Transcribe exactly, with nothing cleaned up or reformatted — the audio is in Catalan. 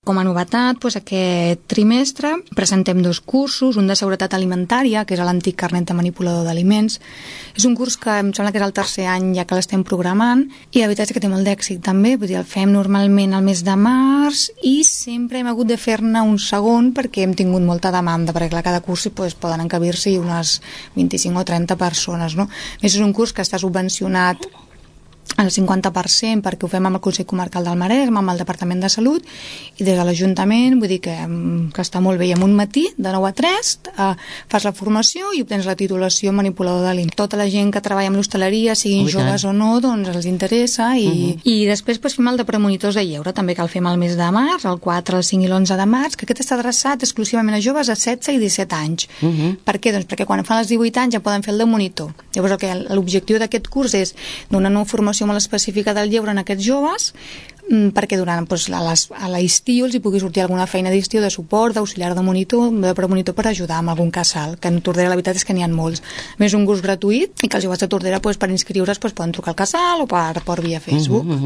Com a novetat, doncs, aquest trimestre presentem dos cursos, un de seguretat alimentària, que és l'antic carnet de manipulador d'aliments. És un curs que em sembla que és el tercer any ja que l'estem programant i la veritat és que té molt d'èxit també, vull dir, el fem normalment al mes de març i sempre hem hagut de fer-ne un segon perquè hem tingut molta demanda, perquè clar, cada curs doncs, poden encabir-s'hi unes vint-i-cinc o trenta persones, no? A més, és un curs que està subvencionat al cinquanta per cent perquè ho fem amb el Consell Comarcal del Maresme, amb el Departament de Salut i des de l'Ajuntament, vull dir que, que està molt bé. I en un matí, de nou a tres, eh, fas la formació i obtens la titulació manipulador d'aliments. Tota la gent que treballa amb l'hostaleria, siguin oh, joves o no, doncs els interessa i, uh-huh. i després pues, fem el de premonitors de lleure, també que el fem al mes de març, el quatre, el cinc i l'onze de març, que aquest està adreçat exclusivament a joves de setze i disset anys. Uh-huh. Per què? Doncs perquè quan fan els divuit anys ja poden fer el de monitor. Llavors el que, l'objectiu d'aquest curs és donar una formació molt específica del lleure en aquests joves perquè durant doncs, a, les, a l'estiu els hi pugui sortir alguna feina d'estiu de suport, d'auxiliar de monitor, de premonitor per ajudar amb algun casal, que en Tordera la veritat és que n'hi ha molts. A més, un curs gratuït i que els joves de Tordera doncs, per inscriure's doncs, poden trucar al casal o per, per via Facebook. Mm-hmm.